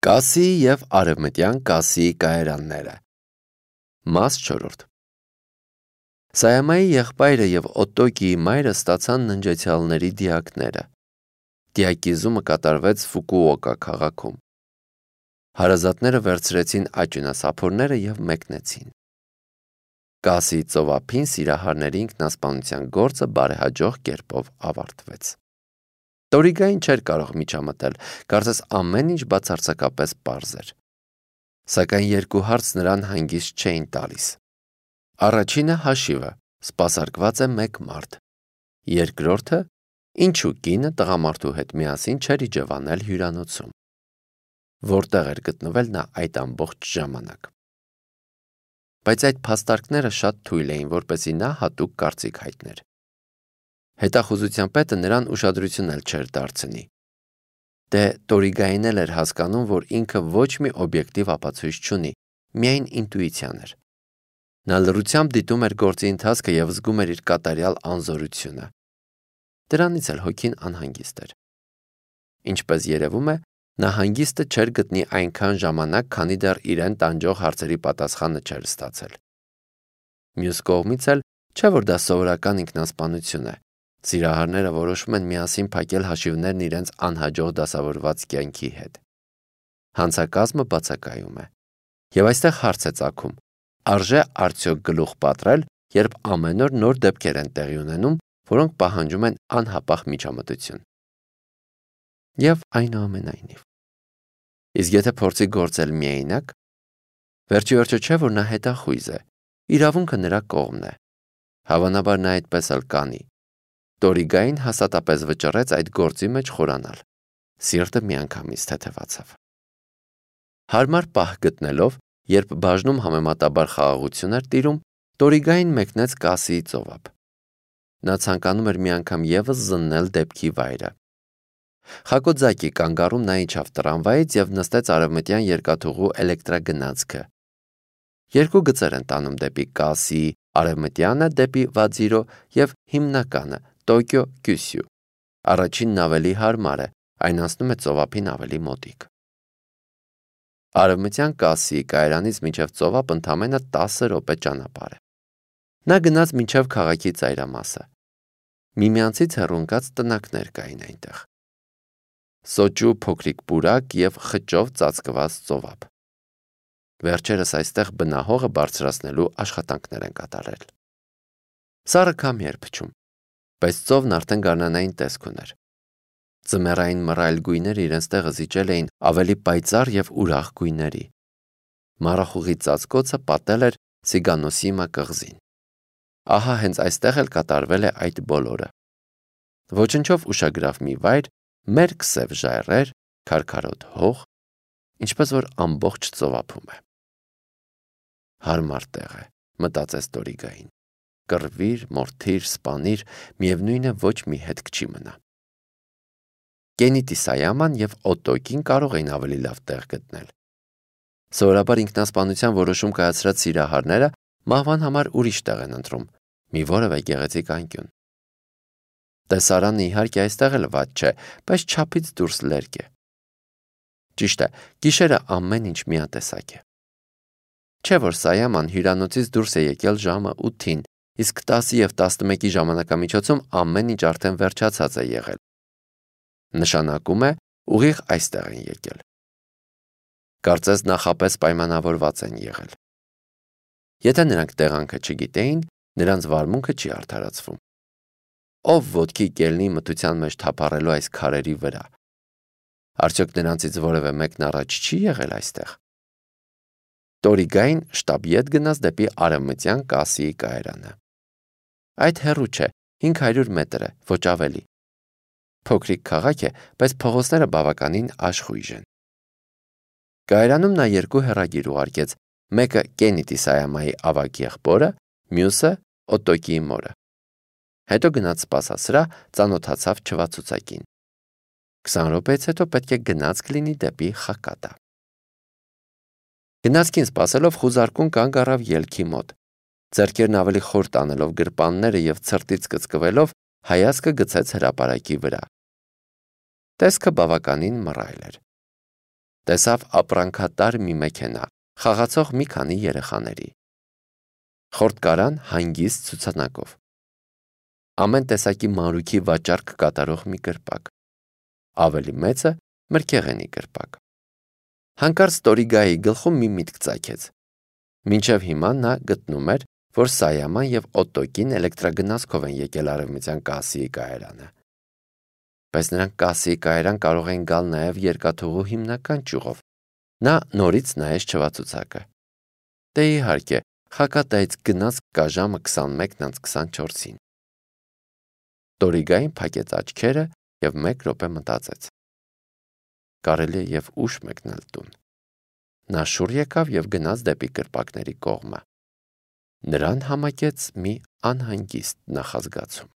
Կասի և արևմտյան կասի կայարանները։ Մաս 4 Սայամայի եղբայրը և Օտոկիի մայրը ստացան ննջեցյալների դիակները։ Դիակիզումը կատարվեց Ֆուկուոկա քաղաքում։ Հարազատները վերցրեցին աճյունասափորները և մեկնեցին։ Կասի ծովափին սիրահարների ինքնասպանության գործը բարեհաջող կերպով ավարտվեց։ Տորիգային չէր կարող միջամտել, կարծես ամեն ինչ բացարձակապես պարզ էր։ Սակայն երկու հարց նրան հանգիստ չէին տալիս։ Առաջինը հաշիվը, սպասարկված է մեկ մարդ։ Երկրորդը, ինչու կինը տղամարդու հետ միասին չէր իջևանել հյուրանոցում։ Որտեղ էր գտնվել նա այդ ամբողջ ժամանակ։ Բայց այդ փաստարկները շատ թույլ էին, որպեսզի նա հատուկ կարծիք հայտներ։ Հետախուզության պետը նրան ուշադրություն էլ չէր դարձնի։ Դե Տորիգային էլ էր հասկանում, որ ինքը ոչ մի օբյեկտիվ ապացույց չունի, միայն ինտուիցիան էր։ Նա լռությամբ դիտում էր գործի ընթացքը և զգում էր իր կատարյալ անզորությունը։ Դրանից էլ հոգին անհանգիստ էր։ Ինչպես երևում է, նա հանգիստը չէր գտնի այնքան ժամանակ, քանի դեռ իրեն տանջող հարցերի պատասխանը չէր ստացել։ Մյուս կողմից էլ չէ, որ դա սովորական ինքնասպանություն է։ Սիրահարները որոշում են միասին փակել հաշիվներն իրենց անհաջող դասավորված կյանքի հետ։ Հանցակազմը բացակայում է։ Եվ այստեղ հարց է ծագում. արժե արդյոք գլուխ պատռել, երբ ամեն օր նոր դեպքեր են տեղի ունենում, որոնք պահանջում են անհապաղ միջամտություն։ Եվ այնուամենայնիվ։ Իսկ եթե փորձի գործել միայնակ, վերջիվերջո չէ, որ նա հետախույզ է, իրավունքը նրա կողմն է։ Հավանաբար նա այդպես էլ կանի։ Տորիգային հաստատապես վճռեց այդ գործի մեջ խորանալ։ Սիրտը միանգամից թեթևացավ։ Հարմար պահ գտնելով, երբ բաժնում համեմատաբար խաղաղություն էր տիրում, Տորիգային մեկնեց Կասիի ծովափ։ Նա ցանկանում էր մի անգամ ևս զննել դեպքի վայրը։ Խակոձակի կանգառում նա իջավ տրամվայից և նստեց արևմտյան երկաթուղու էլեկտրագնացքը։ Երկու գծեր են տանում դեպի Կասի, արևմտյանը դեպի Վադզիրո և հիմնականը Տոկիո Կյուսյու։ Առաջինն ավելի հարմար է, այն անցնում է ծովափին ավելի մոտիկ։ Արևմտյան Կասիի կայարանից մինչև ծովափ ընդամենը 10 րոպե ճանապարհ է։ Նա գնաց մինչև քաղաքի ծայրամասը։ Միմյանցից հեռու ընկած տնակներ կային այնտեղ։ Սոճու փոքրիկ պուրակ և խճով ծածկված ծովափ։ Վերջերս այստեղ բնահողը բարձրացնելու աշխատանքներ են կատարել։ Սառը քամի էր փչում, բայց ծովն արդեն գարնանային տեսք ուներ։ Ձմեռային մռայլ գույները իրենց տեղը զիջել էին ավելի պայծառ և ուրախ գույների։ Մառախուղի ծածկոցը պատել էր Սիգանոսիմա կղզին։ Ահա հենց այստեղ էլ կատարվել է այդ բոլորը։ Ոչնչով ուշագրավ մի վայր, մերկ սև ժայռեր, քարքարոտ հող, ինչպես որ ամբողջ ծովափում է։ Հարմար տեղ է, մտածեց Տորիգային։ Կռվիր, մորթիր, սպանիր, միևնույն է ոչ մի հետք չի մնա։ Կենիտի Սայաման և Օտոկին կարող էին ավելի լավ տեղ գտնել։ Սովորաբար ինքնասպանության որոշում կայացրած սիրահարները մահվան համար ուրիշ տեղ են ընտրում, մի որևէ գեղեցիկ անկյուն։ Տեսարանը իհարկե այստեղ էլ վատ չէ, բայց չափից դուրս լերկ է։ Ճիշտ է, գիշերը ամեն ինչ միատեսակ է։ Չէ որ Սայաման հյուրանոցից դուրս է եկել ժամը 8-ին, իսկ 10 և 11-ի ժամանակամիջոցում ամեն ինչ արդեն վերջացած է եղել։ Նշանակում է, ուղիղ այստեղ են եկել։ Կարծես նախապես պայմանավորված են եղել։ Եթե նրանք տեղանքը չգիտեին, նրանց վարմունքը չի արդարացվում։ Ով ոտքի կելնի մթության մեջ թափառելու այս քարերի վրա։ Արդյոք նրանցից որևէ մեկն առաջ չի եղել այստեղ։ Տորիգային շտապ ետ գնաց դեպի արևմտյան Կասիի կայարանը։ Այդ հեռու չէ, 500 մետր է, ոչ ավելի։ Փոքրիկ քաղաք է, բայց փողոցները բավականին աշխույժ են։ Կայարանում նա երկու հեռագիր ուղարկեց, մեկը Կենիտի Սայամայի ավագ եղբորը, մյուսը Օտոկիի մորը։ Հետո գնաց սպասասրահ, ծանոթացավ չվացուցակին։ 20 րոպեից հետո պետք է գնացք լինի դեպի Խակատա։ Գնացքին սպասելով խուզարկուն կանգ առավ ելքի մոտ։ Ձեռքերն ավելի խոր տանելով գրպանները և ցրտից կծկվելով հայացքը գցեց հրապարակի վրա։ Տեսքը բավականին մռայլ էր։ Տեսավ ապրանքատար մի մեքենա, խաղացող մի քանի երեխաների։ Խորտկարան հանգիստ ցուցանակով։ Ամեն տեսակի մանրուքի վաճառք կատարող մի կրպակ։ Ավելի մեծը մրգեղենի կրպակ։ Հանկարծ Տորիգայի գլխում մի միտք ծագեց։ Մինչև հիմա նա գտնում էր, որ Սայաման և Օտոկին էլեկտրագնացքով են եկել արևմտյան Կասիի կայարանը։ Բայց նրանք Կասիի կայարան կարող են գալ նաև երկաթուղու հիմնական ճյուղով։ Նա նորից նայեց չվացուցակը։ Դե իհարկե, Խակատայից գնաց կա ժամը 21:24-ին։ Տորիգային փակեց աչքերը և 1 րոպե մտածեց. կարելի է և ուշ մեկնել տուն։ Նա շուռ եկավ և գնաց դեպի կրպակների կողմը։ Նրան համակեց մի անհանգիստ նախազգացում։